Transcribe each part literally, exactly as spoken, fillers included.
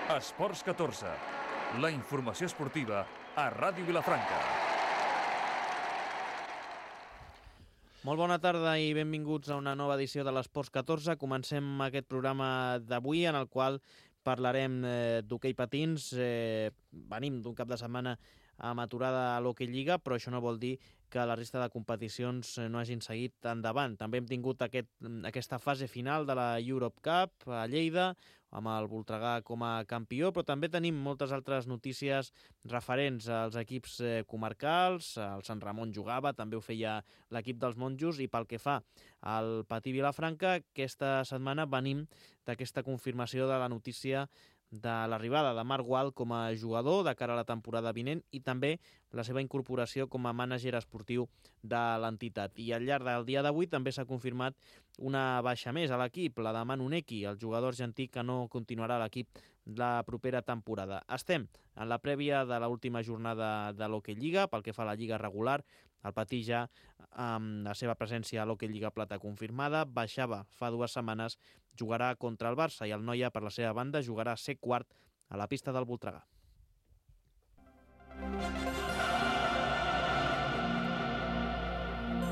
Esports catorze, la informació esportiva a Ràdio Vilafranca. Molt bona tarda i benvinguts a una nova edició de l'Esports catorze. Comencem aquest programa d'avui en el qual parlarem eh, d'hoquei patins. Eh, venim d'un cap de setmana amb aturada a l'Hockey Lliga, però això no vol dir que la resta de competicions no hagin seguit endavant. També hem tingut aquest, aquesta fase final de la Europe Cup a Lleida, amb el Voltregà com a campió, però també tenim moltes altres notícies referents als equips eh, comarcals. El Sant Ramon jugava, també ho feia l'equip dels monjos, i pel que fa al Patí Vilafranca, aquesta setmana venim d'aquesta confirmació de la notícia de l'arribada de Marc Gual com a jugador de cara a la temporada vinent i també la seva incorporació com a mànager esportiu de l'entitat. I al llarg del dia d'avui també s'ha confirmat una baixa més a l'equip, la de Manu Neki, el jugador argentí que no continuarà a l'equip la propera temporada. Estem en la prèvia de l'última jornada de l'Hockey Lliga, pel que fa a la Lliga regular. El Patí ja, amb la seva presència a l'Hockey Lliga Plata confirmada, baixava fa dues setmanes, jugarà contra el Barça, i el Noia, per la seva banda, jugarà a ser quart a la pista del Voltregà.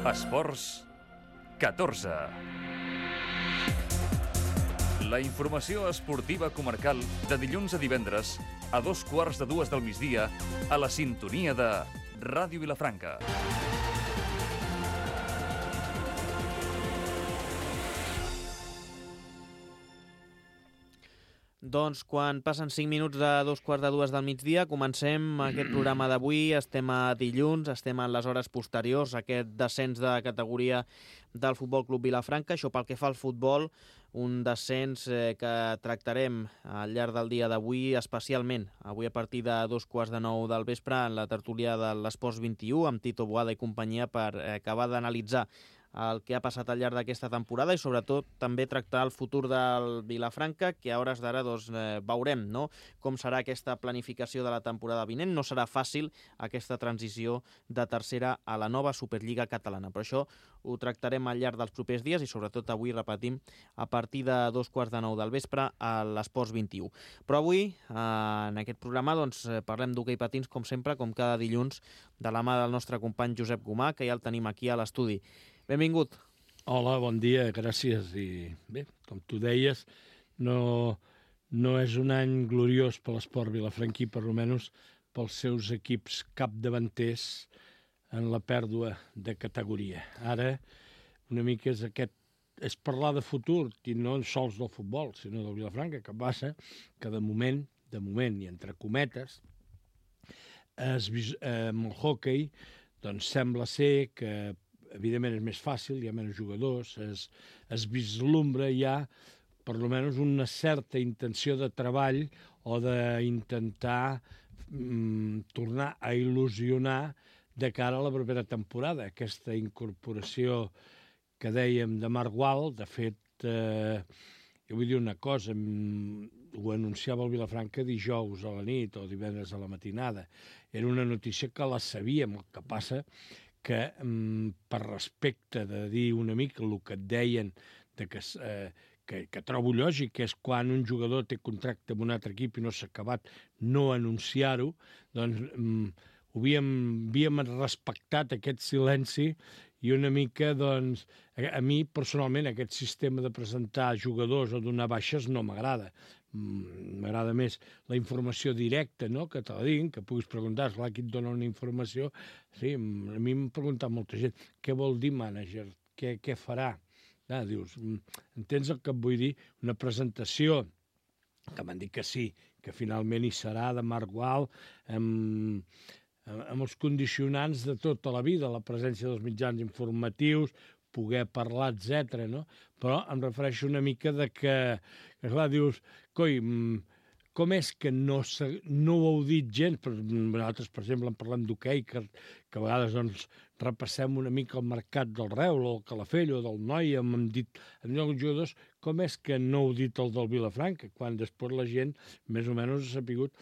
Esports catorze. La informació esportiva comarcal de dilluns a divendres a dos quarts de dues del migdia a la sintonia de Ràdio Vilafranca. Doncs quan passen cinc minuts de dos quarts de dues del migdia, comencem aquest programa d'avui. Estem a dilluns, estem en les hores posteriors a aquest descens de categoria del Futbol Club Vilafranca. Això pel que fa al futbol, un descens eh, que tractarem al llarg del dia d'avui especialment. Avui a partir de dos quarts de nou del vespre en la tertúlia de l'Esports vint-i-u amb Tito Boada i companyia per eh, acabar d'analitzar el que ha passat al llarg d'aquesta temporada i sobretot també tractar el futur del Vilafranca, que a hores d'ara doncs, eh, veurem no? com serà aquesta planificació de la temporada vinent. No serà fàcil aquesta transició de tercera a la nova Superliga catalana, però això ho tractarem al llarg dels propers dies i sobretot avui, repetim, a partir de dos quarts de nou del vespre a l'Esports vint-i-u. Però avui, eh, en aquest programa, doncs, parlem d'hoquei patins, com sempre, com cada dilluns, de la mà del nostre company Josep Gomà, que ja el tenim aquí a l'estudi. Benvingut. Hola, bon dia, gràcies. I bé, com tu deies, no, no és un any gloriós per l'esport vilafranquí, per almenys pels seus equips capdavanters en la pèrdua de categoria. Ara, una mica és aquest és parlar de futur, i no sols del futbol, sinó del Vilafranca, que passa que de moment, de moment, i entre cometes, es, eh, amb el hoquei, doncs sembla ser que evidentment és més fàcil, hi ha menys jugadors, es, es vislumbra ja per almenys una certa intenció de treball o d'intentar mm, tornar a il·lusionar de cara a la propera temporada. Aquesta incorporació que dèiem de Marc Gual, de fet, eh, jo vull dir una cosa, ho anunciava el Vilafranca dijous a la nit o divendres a la matinada. Era una notícia que la sabíem, el que passa que per respecte de dir una mica el que et deien de que, eh, que, que trobo lògic, que és quan un jugador té contracte amb un altre equip i no s'ha acabat, no anunciar-ho, doncs mm, havíem, havíem respectat aquest silenci i una mica, doncs, a, a mi personalment aquest sistema de presentar jugadors o donar baixes no m'agrada. M'agrada més la informació directa, no?, que te la diguin, que puguis preguntar, esclar, qui et dona una informació. Sí, a mi m'ha preguntat molta gent, què vol dir mànager? Què, què farà? Ah, dius, entens el que et vull dir? Una presentació, que m'han dit que sí, que finalment hi serà de Marc Gual, amb, amb els condicionants de tota la vida, la presència dels mitjans informatius, poder parlar, etcètera, no? Però em refereixo una mica de que, que clar, dius, coi, com és que no, no ho heu dit gens? Nosaltres, per exemple, en parlem d'hoquei, que, que a vegades doncs, repassem una mica el mercat del Reus, o el Calafell, o del Noia, hem dit en alguns jugadors, com és que no heu dit el del Vilafranca, quan després la gent més o menys ha sapigut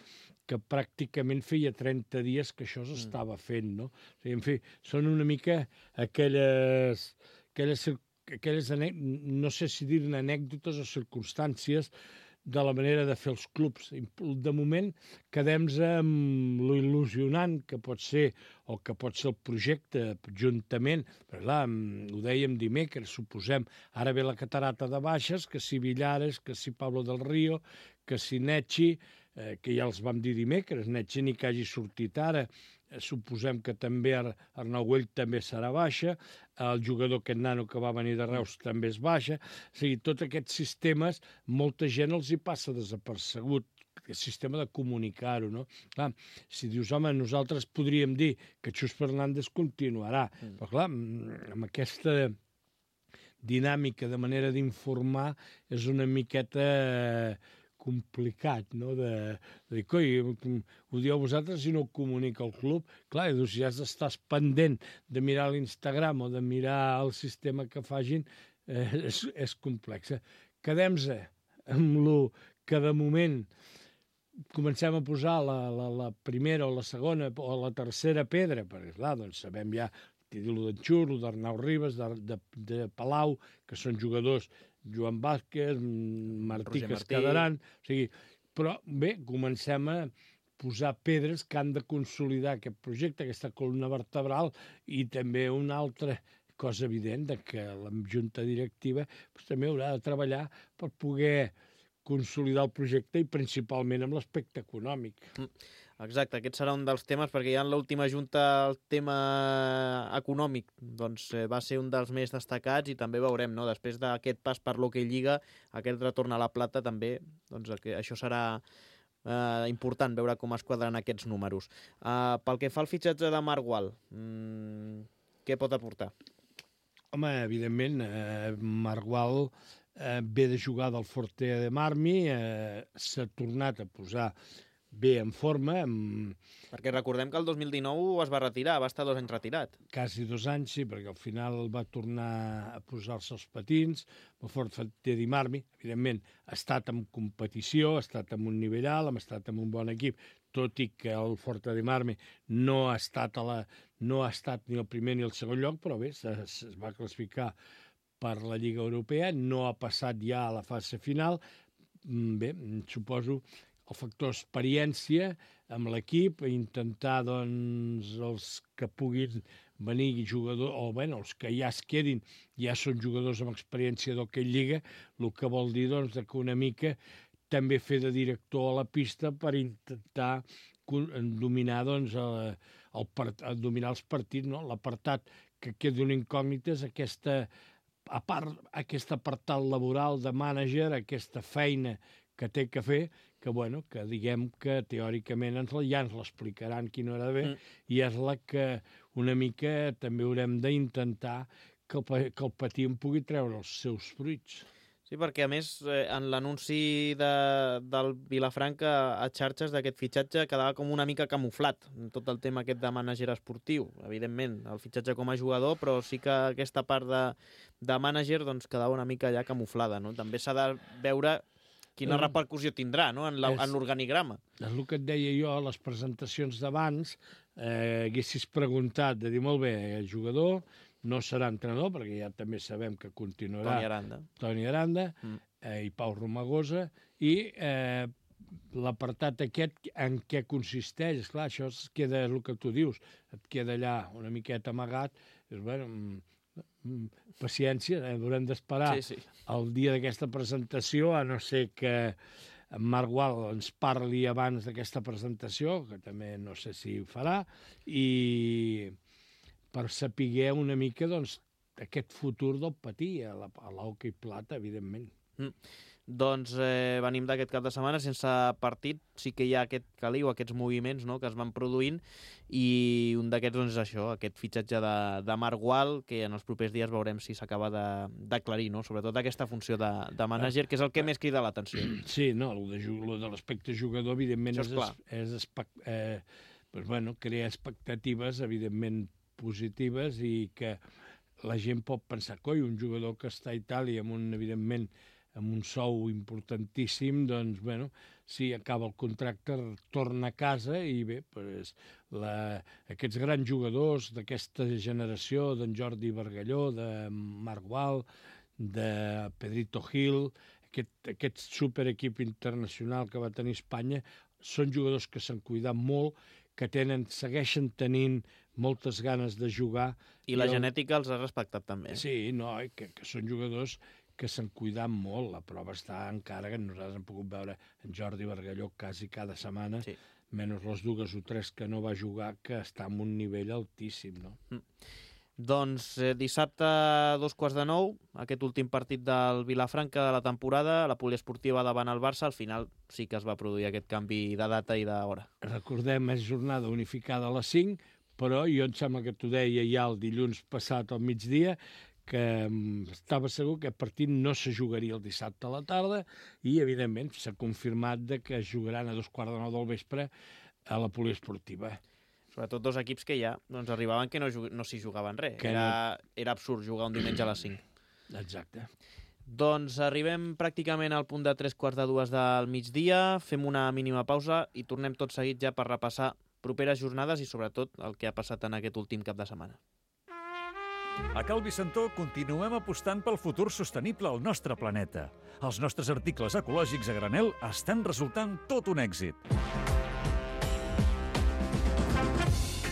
que pràcticament feia trenta dies que això s'estava fent, no? O sigui, en fi, són una mica aquelles, aquelles, aquelles no sé si dir-ne anècdotes o circumstàncies de la manera de fer els clubs. De moment, quedem-nos amb lo il·lusionant que pot ser o que pot ser el projecte juntament. Però clar, ho dèiem dimecres, suposem, ara ve la Catarata de Baixes, que si Villares, que si Pablo del Río, que si Netxi, eh, que ja els vam dir dimecres, Netxi ni que hagi sortit ara, eh, suposem que també Ar Arnau Güell també serà baixa, el jugador aquest nano que va venir de Reus també és baixa, o sigui, tots aquests sistemes, molta gent els hi passa desapercegut, el sistema de comunicar-ho, no? Clar, si dius, home, nosaltres podríem dir que Xus Fernández continuarà, mm. però clar, amb aquesta dinàmica de manera d'informar és una miqueta complicat, no?, de, de dir, coi, ho dieu vosaltres i no ho comunica el club. Clar, doncs ja estàs pendent de mirar l'Instagram o de mirar el sistema que facin, eh, és, és complex. Quedem-nos amb el que de moment comencem a posar la, la, la primera o la segona o la tercera pedra, perquè clar, doncs sabem ja el d'en Xur, el d'Arnau Ribas, de, de, de Palau, que són jugadors, Joan Vázquez, Martí, que es quedaran. O sigui, però bé, comencem a posar pedres que han de consolidar aquest projecte, aquesta columna vertebral, i també una altra cosa evident, de que la junta directiva doncs, també haurà de treballar per poder consolidar el projecte i principalment amb l'aspecte econòmic. Mm. Exacte, aquest serà un dels temes, perquè ja en l'última junta el tema econòmic doncs, eh, va ser un dels més destacats i també veurem, no? Després d'aquest pas per l'Hockey Lliga, aquest retorn a la plata també, doncs, això serà eh, important, veure com es quadren aquests números. Uh, pel que fa al fitxatge de Marc Gual, mmm, què pot aportar? Home, evidentment, eh, Marc Gual eh, ve de jugar del Forte de Marmi, eh, s'ha tornat a posar bé en forma. Amb... Perquè recordem que el dos mil dinou es va retirar, va estar dos anys retirat. Quasi dos anys, sí, perquè al final va tornar a posar-se els patins. El Forte de Marmi, evidentment, ha estat en competició, ha estat en un nivell alt, ha estat en un bon equip, tot i que el Forte de Marmi no ha estat, a la... no ha estat ni el primer ni el segon lloc, però bé, es va classificar per la Lliga Europea, no ha passat ja a la fase final. Bé, suposo el factor experiència amb l'equip, intentar, doncs, els que puguin venir jugadors, o bé, els que ja es quedin, ja són jugadors amb experiència d'Hockey Lliga, el que vol dir, doncs, que una mica també fer de director a la pista per intentar dominar, doncs, el, el, dominar els partits, no? L'apartat que queda una incògnita és aquesta, a part, aquest apartat laboral de mànager, aquesta feina que té que fer, que, bueno, que diguem que teòricament ens la, ja ens l'explicaran quina hora de bé, mm. i és la que una mica també haurem d'intentar que, que el patí en pugui treure els seus fruits. Sí, perquè a més eh, en l'anunci de, del Vilafranca a xarxes d'aquest fitxatge quedava com una mica camuflat, tot el tema aquest de mànager esportiu. Evidentment, el fitxatge com a jugador, però sí que aquesta part de, de mànager doncs, quedava una mica ja camuflada, no? També s'ha de veure quina repercussió tindrà, no?, en l'organigrama. És el que et deia jo a les presentacions d'abans, eh, haguessis preguntat de dir, molt bé, el jugador no serà entrenador, perquè ja també sabem que continuarà Toni Aranda, Toni Aranda mm. eh, i Pau Romagosa, i eh, l'apartat aquest en què consisteix? Esclar, això es queda, el que tu dius, et queda allà una miqueta amagat, és, bueno, paciència, eh, haurem d'esperar sí, sí. el dia d'aquesta presentació, a no ser que en Marc Gual ens parli abans d'aquesta presentació, que també no sé si ho farà, i per saber una mica, doncs, aquest futur del patí a l'hoquei plata, evidentment. Mm. Doncs eh, venim d'aquest cap de setmana sense partit, sí que hi ha aquest caliu, aquests moviments, no?, que es van produint, i un d'aquests doncs, és això, aquest fitxatge de, de Marc Gual, que en els propers dies veurem si s'acaba d'aclarir, no?, sobretot aquesta funció de, de mànager, que és el que més crida l'atenció. Sí, no, el de, de l'aspecte jugador, evidentment, és, és, és eh, doncs, bueno, crear expectatives, evidentment, positives, i que la gent pot pensar, coi, un jugador que està a Itàlia amb un, evidentment, amb un sou importantíssim, doncs, bueno, si acaba el contracte, torna a casa i bé, pues, la, aquests grans jugadors d'aquesta generació, d'en Jordi Bargalló, de Marc Gual, de Pedrito Gil, aquest, aquest superequip internacional que va tenir Espanya, són jugadors que s'han cuidat molt, que tenen, segueixen tenint moltes ganes de jugar. I la el... genètica els ha respectat també. Sí, no, que, que són jugadors que s'han cuidat molt. La prova està encara que nosaltres hem pogut veure en Jordi Bargalló quasi cada setmana, sí. Menys les dues o tres que no va jugar, que està en un nivell altíssim, no? Mm. Doncs eh, dissabte a dos quarts de nou, aquest últim partit del Vilafranca de la temporada, la poliesportiva davant el Barça, al final sí que es va produir aquest canvi de data i d'hora. Recordem, és jornada unificada a les cinc, però jo em sembla que t'ho deia ja el dilluns passat al migdia, que estava segur que el partit no se jugaria el dissabte a la tarda i, evidentment, s'ha confirmat de que es jugaran a dos quarts de nou del vespre a la poliesportiva. Sobretot dos equips que ja doncs, arribaven que no, no s'hi jugaven res. Era, no... era absurd jugar un diumenge a les cinc. Exacte. Doncs arribem pràcticament al punt de tres quarts de dues del migdia, fem una mínima pausa i tornem tot seguit ja per repassar properes jornades i, sobretot, el que ha passat en aquest últim cap de setmana. A Cal Vicentó continuem apostant pel futur sostenible al nostre planeta. Els nostres articles ecològics a granel estan resultant tot un èxit.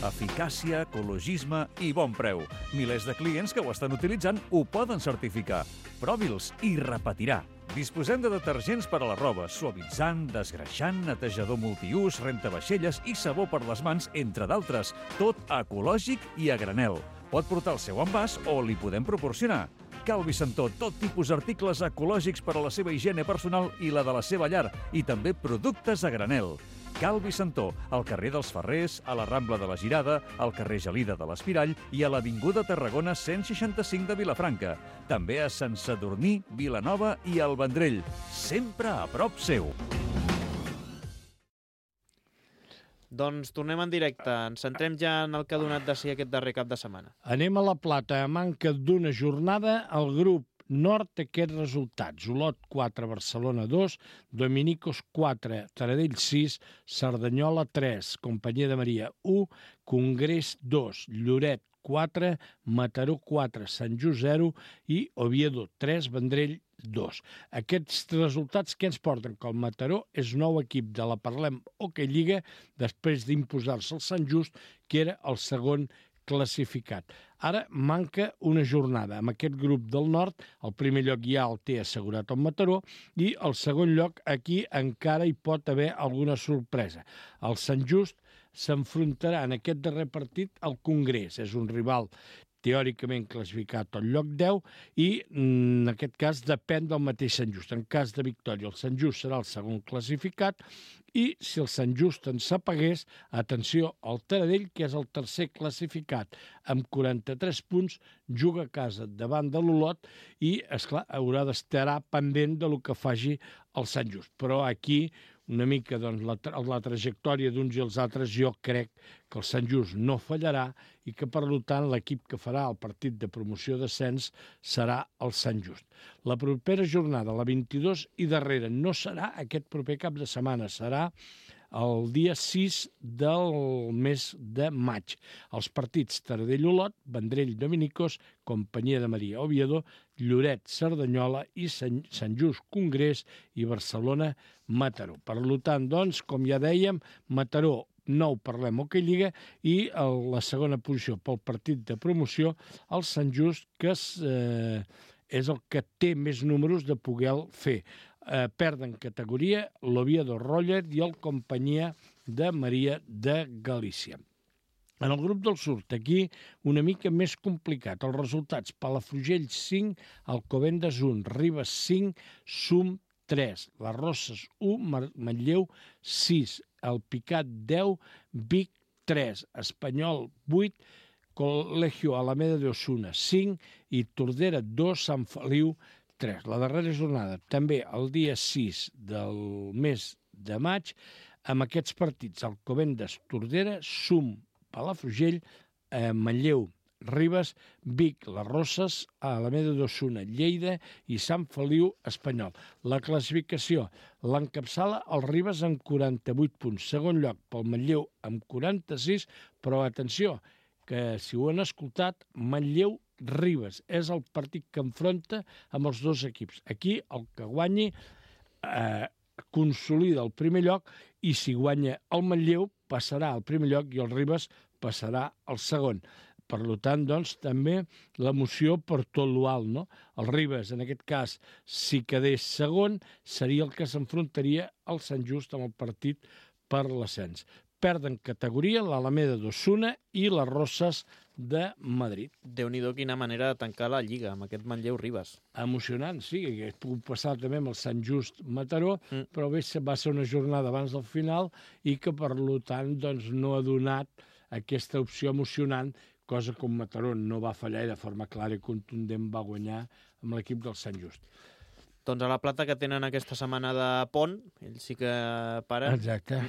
Eficàcia, ecologisme i bon preu. Milers de clients que ho estan utilitzant ho poden certificar. Provi'ls i repetirà. Disposem de detergents per a la roba, suavitzant, desgreixant, netejador multiús, rentavaixelles i sabó per les mans, entre d'altres. Tot ecològic i a granel. Pot portar el seu envàs o li podem proporcionar. Cal Vicentó, tot tipus d'articles ecològics per a la seva higiene personal i la de la seva llar, i també productes a granel. Cal Vicentó, al carrer dels Ferrers, a la Rambla de la Girada, al carrer Gelida de l'Espirall i a l'Avinguda Tarragona cent seixanta-cinc de Vilafranca. També a Sant Sadurní, Vilanova i el Vendrell. Sempre a prop seu. Doncs tornem en directe. Ens centrem ja en el que ha donat de si aquest darrer cap de setmana. Anem a la Plata. A manca d'una jornada, el grup nord aquests resultats. Olot quatre, Barcelona dos, Dominicos quatre, Taradell sis, Cerdanyola tres, Companyia de Maria u, Congrés dos, Lloret quatre, Mataró quatre, Sant Just zero i Oviedo tres, Vendrell dos. Aquests resultats que ens porten que el Mataró és nou equip de la Parlem Hockey Lliga després d'imposar-se el Sant Just, que era el segon classificat. Ara manca una jornada. Amb aquest grup del nord, el primer lloc ja el té assegurat el Mataró i el segon lloc aquí encara hi pot haver alguna sorpresa. El Sant Just s'enfrontarà en aquest darrer partit al Congrés. És un rival teòricament classificat al lloc deu i en aquest cas depèn del mateix Sant Just. En cas de victòria el Sant Just serà el segon classificat i si el Sant Just en s'apagués, atenció, el Taradell, que és el tercer classificat amb quaranta-tres punts, juga a casa davant de l'Olot i, esclar, haurà d'estar pendent de lo que faci el Sant Just. Però aquí una mica doncs, la, la trajectòria d'uns i els altres, jo crec que el Sant Just no fallarà i que, per tant, l'equip que farà el partit de promoció d'ascens serà el Sant Just. La propera jornada, la vint-i-dos i darrera, no serà aquest proper cap de setmana, serà el dia sis del mes de maig. Els partits Taradell-Olot, Vendrell-Dominicos, Companyia de Maria Oviedo, Lloret-Cerdanyola i Sant, Sant Just Congrés i Barcelona-Mataró. Per tant, doncs, com ja dèiem, Mataró nou Parlem Hockey Lliga i el, la segona posició pel partit de promoció, el Sant Just, que és, eh, és el que té més números de poder fer. Eh, perden categoria l'Oviedo Roller i el Companyia de Maria de Galícia. En el grup del sud, aquí una mica més complicat. Els resultats: Palafrugell cinc, Alcobendas un, Ribes cinc, Sum tres, Les Roses u, Manlleu sis, El Picat deu, Vic tres, Espanyol vuit, Colegio Alameda de Osuna cinc i Tordera dos, Sant Feliu tres. La darrera jornada, també el dia sis del mes de maig, amb aquests partits: Alcobendas, Tordera, Sum, Palafrugell, eh, Manlleu, Ribes, Vic, Les Roses, Alameda d'Osuna, Lleida i Sant Feliu Espanyol. La classificació l'encapçala el Ribes amb quaranta-vuit punts, segon lloc pel Manlleu amb quaranta-sis, però atenció, que si ho han escoltat, Manlleu Ribes. És el partit que enfronta amb els dos equips. Aquí el que guanyi eh, consolida el primer lloc i si guanya el Manlleu passarà al primer lloc i el Ribes passarà al segon. Per tant, doncs, també l'emoció per tot l'alt, no? El Ribes, en aquest cas, si quedés segon, seria el que s'enfrontaria al Sant Just amb el partit per l'ascens. Perden categoria l'Alameda d'Osuna i les Roses de Madrid. Déu-n'hi-do quina manera de tancar la Lliga amb aquest Manlleu-Ribes. Emocionant, sí, que ha pogut passar també amb el Sant Just Mataró, mm. però bé, va ser una jornada abans del final i que, per tant, doncs, no ha donat aquesta opció emocionant, cosa com Mataró no va fallar i de forma clara i contundent va guanyar amb l'equip del Sant Just. Doncs a la Plata, que tenen aquesta setmana de pont, ells sí que paren. Exacte.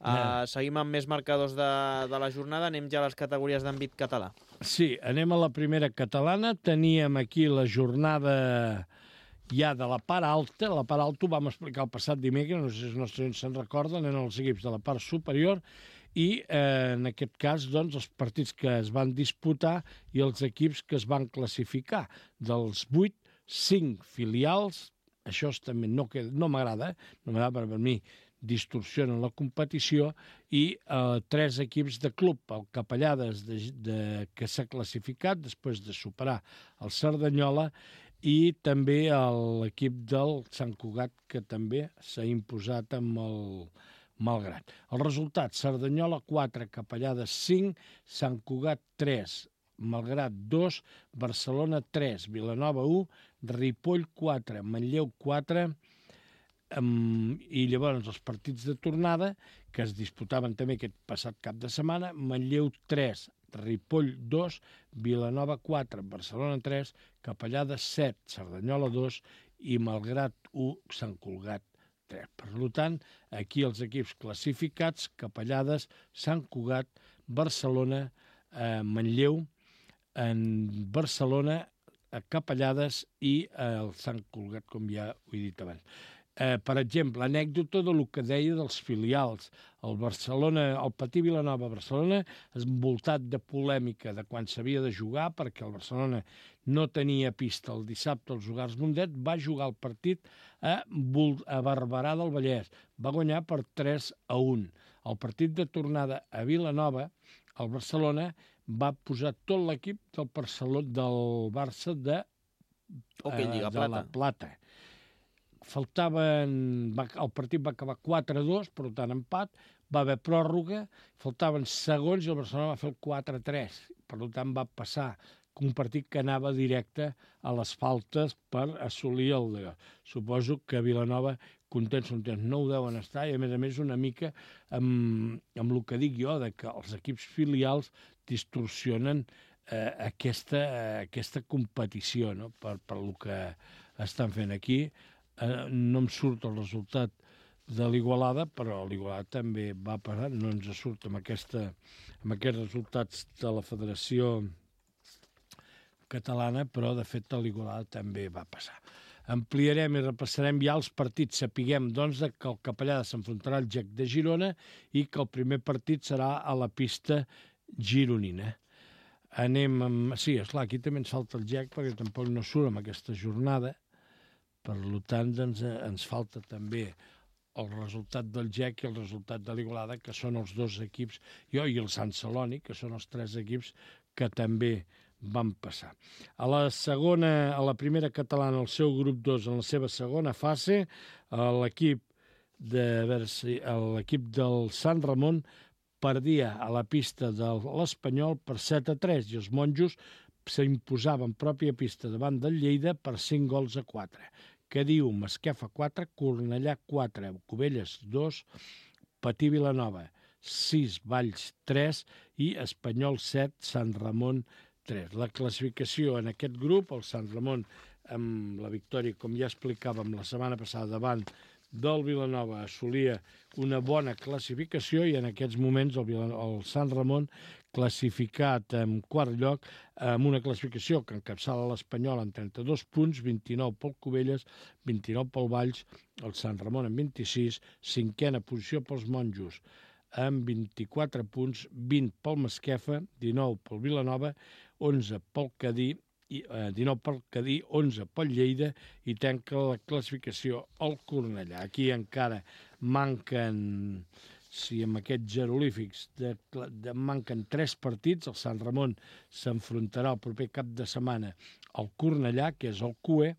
Uh, seguim amb més marcadors de, de la jornada, anem ja a les categories d'àmbit català. Sí, anem a la primera catalana. Teníem aquí la jornada ja de la part alta. La part alta ho vam explicar el passat dimecres, no sé si els nostres se'n recorden, eren els equips de la part superior i eh, en aquest cas doncs, els partits que es van disputar i els equips que es van classificar. Dels vuit, cinc filials, això també no, no m'agrada, eh? no m'agrada per mi, distorsionen la competició i eh, tres equips de club, el Capellades de, de, que s'ha classificat després de superar el Cerdanyola i també l'equip del Sant Cugat que també s'ha imposat amb el Malgrat. El resultat, Cerdanyola quatre, Capellades cinc, Sant Cugat tres, Malgrat dos, Barcelona tres, Vilanova u, Ripoll quatre, Manlleu quatre, Um, i llavors els partits de tornada que es disputaven també aquest passat cap de setmana, Manlleu tres, Ripoll dos, Vilanova quatre, Barcelona tres, Capellades set, Cerdanyola dos i Malgrat u, Sant Cugat tres. Per tant, aquí els equips classificats, Capellades, Sant Cugat, Barcelona, eh, Manlleu, en Barcelona, Capellades i eh, el Sant Cugat, com ja ho he dit abans. Eh, per exemple, anècdota del que deia dels filials. El Barcelona, el Patí Vilanova Barcelona, envoltat de polèmica de quan s'havia de jugar, perquè el Barcelona no tenia pista el dissabte als Jugars Mundet, va jugar el partit a, a Barberà del Vallès. Va guanyar per tres a un. El partit de tornada a Vilanova, el Barcelona va posar tot l'equip del, del Barça de, okay, eh, Lliga de Plata. la Plata. Faltaven, va, el partit va acabar quatre a dos, per tant empat, va haver pròrroga, faltaven segons i el Barcelona va fer el quatre a tres, per tant va passar un partit que anava directe a les faltes per assolir el de... Suposo que Vilanova, contents, contents, no ho deuen estar, i a més a més una mica amb, amb el que dic jo, de que els equips filials distorsionen eh, aquesta, eh, aquesta competició, no? per, per el que estan fent aquí. Eh, no em surt el resultat de l'Igualada, però l'Igualada també va passar, no ens surt amb, aquesta, amb aquests resultats de la Federació Catalana, però de fet l'Igualada també va passar. Ampliarem i repassarem ja els partits. Sapiguem, doncs, que el Capellada s'enfrontarà al G E C de Girona i que el primer partit serà a la pista gironina. Anem amb... Sí, esclar, aquí també ens falta el G E C perquè tampoc no surt amb aquesta jornada. Per tant, doncs, ens falta també el resultat del G E C i el resultat de l'Igualada, que són els dos equips, jo i el Sant Celoni, que són els tres equips que també van passar. A la segona, a la primera catalana, el seu grup dos, en la seva segona fase, l'equip de, a veure si, l'equip del Sant Ramon perdia a la pista de l'Espanyol per set a tres i els monjos s'imposaven pròpia pista davant del Lleida per cinc gols a quatre. Que diu Masquefa quatre, Cornellà quatre, Cubelles dos, Patí Vilanova sis, Valls tres i Espanyol set, Sant Ramon tres. La classificació en aquest grup, el Sant Ramon amb la victòria, com ja explicàvem la setmana passada, davant del Vilanova assolia una bona classificació i en aquests moments el, el Sant Ramon classificat en quart lloc amb una classificació que encapçala l'Espanyol en trenta-dos punts, vint-i-nou pel Cubelles, vint-i-nou pel Valls, el Sant Ramon en vint-i-sis, cinquena posició pels monjos amb vint-i-quatre punts, vint pel Masquefa, dinou pel Vilanova, onze pel Cadí, i, eh, dinou pel Cadí, onze pel Lleida i tanca la classificació el Cornellà. Aquí encara manquen, si amb aquests jeroglífics, de, de, manquen tres partits. El Sant Ramon s'enfrontarà el proper cap de setmana al Cornellà, que és el Q E,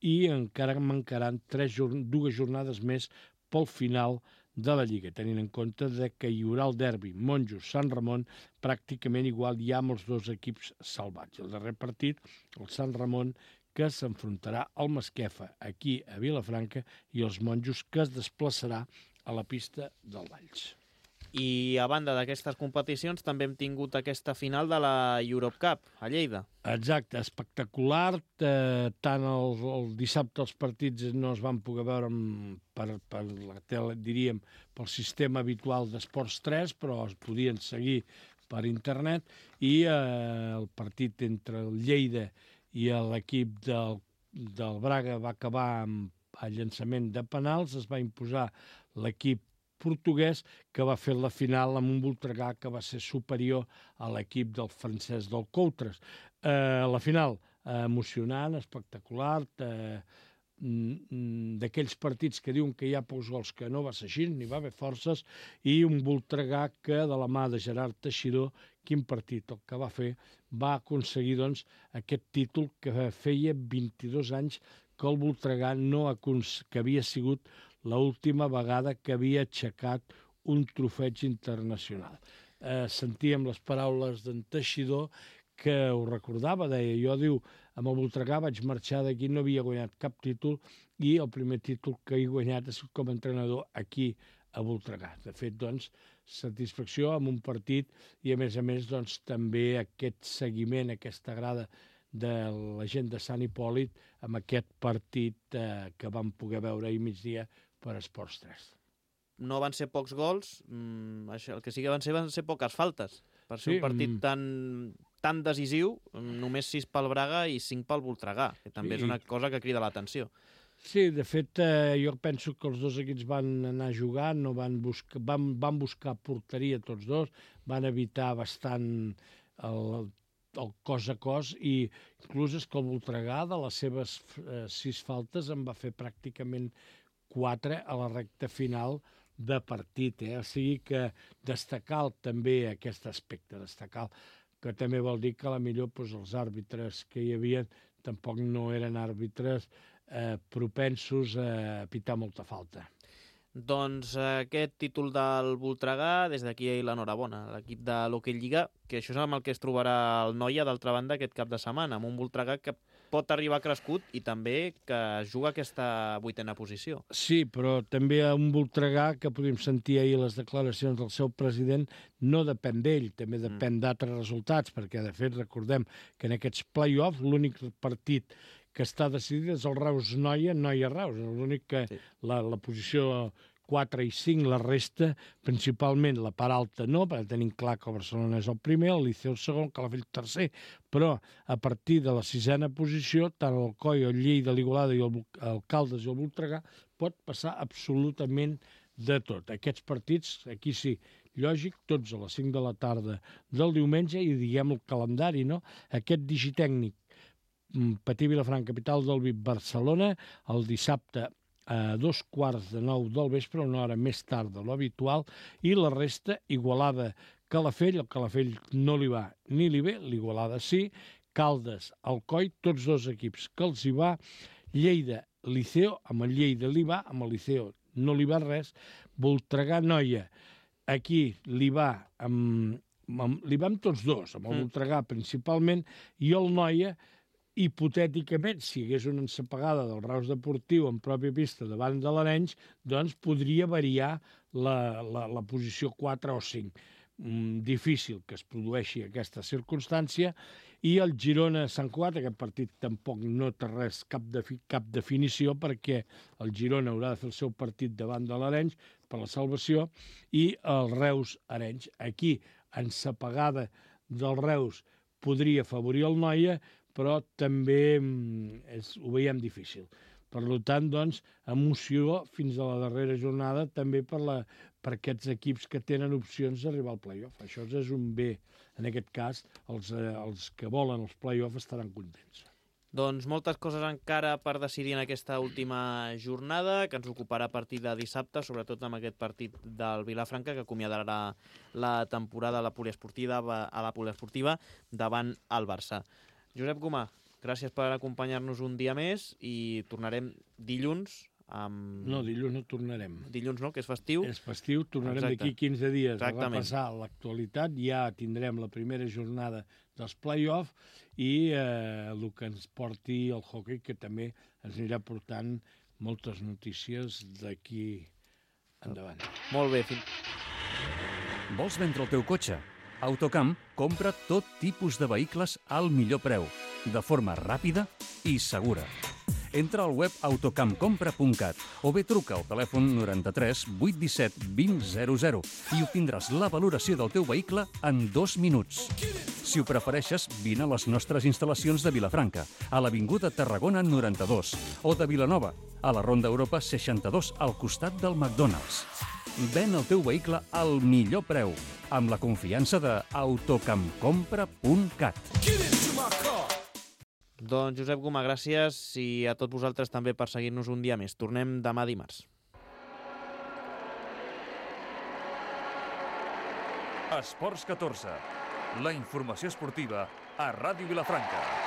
i encara mancaran tres, dues jornades més pel final de la Lliga, tenint en compte de que hi haurà el derbi Monjos-Sant Ramon pràcticament igual ja amb els dos equips salvats. El darrer partit, el Sant Ramon, que s'enfrontarà al Masquefa, aquí a Vilafranca, i els Monjos, que es desplaçarà a la pista del Valls. I a banda d'aquestes competicions també hem tingut aquesta final de la Europe Cup a Lleida. Exacte, espectacular. Eh, tant el, el dissabte els partits no es van poder veure amb, per, per la tele, diríem, pel sistema habitual d'Esports tres, però es podien seguir per internet, i eh, el partit entre el Lleida i l'equip del, del Braga va acabar amb el llançament de penals. Es va imposar l'equip portuguès, que va fer la final amb un Voltregà que va ser superior a l'equip del francès del Coutres. Eh, la final eh, emocionant, espectacular, eh, d'aquells partits que diuen que hi ha pocs gols, que no va ser així, n'hi va haver forces, i un Voltregà que, de la mà de Gerard Teixidor, quin partit el que va fer, va aconseguir doncs, aquest títol que feia vint-i-dos anys que el Voltregà no que havia sigut l'última vegada que havia aixecat un trofeig internacional. Eh, sentíem les paraules d'en Teixidor, que ho recordava, deia, jo, diu, amb el Voltregà vaig marxar d'aquí, no havia guanyat cap títol, i el primer títol que he guanyat és com a entrenador aquí a Voltregà. De fet, doncs, satisfacció amb un partit i, a més a més, doncs, també aquest seguiment, aquesta grada de la gent de Sant Hipòlit amb aquest partit eh, que vam poder veure ahir migdia per Esports tres. No van ser pocs gols, mm, això, el que sí que van ser van ser poques faltes. Per ser sí, un partit mm. tan, tan decisiu, només sis pel Braga i cinc pel Voltregà, que també sí. és una cosa que crida l'atenció. Sí, de fet, eh, jo penso que els dos equips van anar a jugar, no van, buscar, van, van buscar porteria tots dos, van evitar bastant el, el cos a cos, i inclús és que el Voltregà, de les seves eh, sis faltes, en va fer pràcticament quatre a la recta final de partit. Eh? O sigui que destacar també aquest aspecte, destacar que també vol dir que a la millor doncs, els àrbitres que hi havia tampoc no eren àrbitres eh, propensos a pitar molta falta. Doncs aquest títol del Voltregà, des d'aquí l'enhorabona a l'equip de l'Hockey Lliga, que això és amb el que es trobarà el Noia, d'altra banda, aquest cap de setmana, amb un Voltregà que pot arribar crescut i també que juga aquesta vuitena posició. Sí, però també un Voltregà que podem sentir ahir les declaracions del seu president, no depèn d'ell, també depèn mm. d'altres resultats, perquè de fet recordem que en aquests play-offs l'únic partit que està decidit és el Reus-Noia, Noia-Reus, l'únic que sí. la, la posició quatre i cinc, la resta, principalment la part alta no, perquè tenim clar que el Barcelona és el primer, el Liceu el segon, Calafell el tercer, però a partir de la sisena posició, tant el Coi, el Lleida, l'Igualada i el, el Caldes i el Voltregà, pot passar absolutament de tot. Aquests partits, aquí sí, lògic, tots a les cinc de la tarda del diumenge, i diguem el calendari, no? Aquest digitècnic Patí Vilafranca, capital del V I P, Barcelona, el dissabte a dos quarts de nou del vespre, una hora més tard de l'habitual, i la resta, Igualada, Calafell, el Calafell no li va ni li ve, l'Igualada sí, Caldes, Alcoi, tots dos equips que els hi va, Lleida, Liceo, amb el Lleida li va, amb el Liceo no li va res, Voltregà, Noia, aquí li va amb, amb, li va amb tots dos, amb el Voltregà principalment, i el Noia, hipotèticament, si hi hagués una ensapegada del Reus Deportiu en pròpia pista davant de l'Arenys, doncs podria variar la, la, la posició quatre o cinc. Mm, difícil que es produeixi aquesta circumstància, i el Girona-Sant Cugat, aquest partit tampoc no té res, cap, de, cap definició, perquè el Girona haurà de fer el seu partit davant de l'Arenys per la salvació, i el Reus-Arenys. Aquí, ensapegada del Reus, podria afavorir el Noia, però també és, ho veiem difícil. Per tant, doncs, emoció fins a la darrera jornada també per, la, per aquests equips que tenen opcions d'arribar al play-off. Això és un bé. En aquest cas, els, eh, els que volen els play-off estaran contents. Doncs moltes coses encara per decidir en aquesta última jornada, que ens ocuparà a partir de dissabte, sobretot amb aquest partit del Vilafranca, que acomiadarà la temporada a la poliesportiva, a la poliesportiva davant el Barça. Josep Gomà, gràcies per acompanyar-nos un dia més i tornarem dilluns amb... No, dilluns no tornarem. Dilluns no, que és festiu. És festiu, tornarem d'aquí quinze dies Exactament. a repassar l'actualitat. Ja tindrem la primera jornada dels play-off i eh, el que ens porti el hockey, que també ens anirà portant moltes notícies d'aquí endavant. Molt bé. Vols vendre el teu cotxe? Autocamp compra tot tipus de vehicles al millor preu, de forma ràpida i segura. Entra al web autocampcompra punt cat o bé truca al telèfon noranta-tres vuit disset vint zero zero i obtindràs la valoració del teu vehicle en dos minuts. Si ho prefereixes, vine a les nostres instal·lacions de Vilafranca, a l'Avinguda Tarragona noranta-dos, o de Vilanova, a la Ronda Europa seixanta-dos, al costat del McDonald's. Ven el teu vehicle al millor preu, amb la confiança de autocampcompra punt cat. Doncs Josep Gomà, gràcies i a tots vosaltres també per seguir-nos un dia més. Tornem demà dimarts. Esports catorze, la informació esportiva a Ràdio Vilafranca.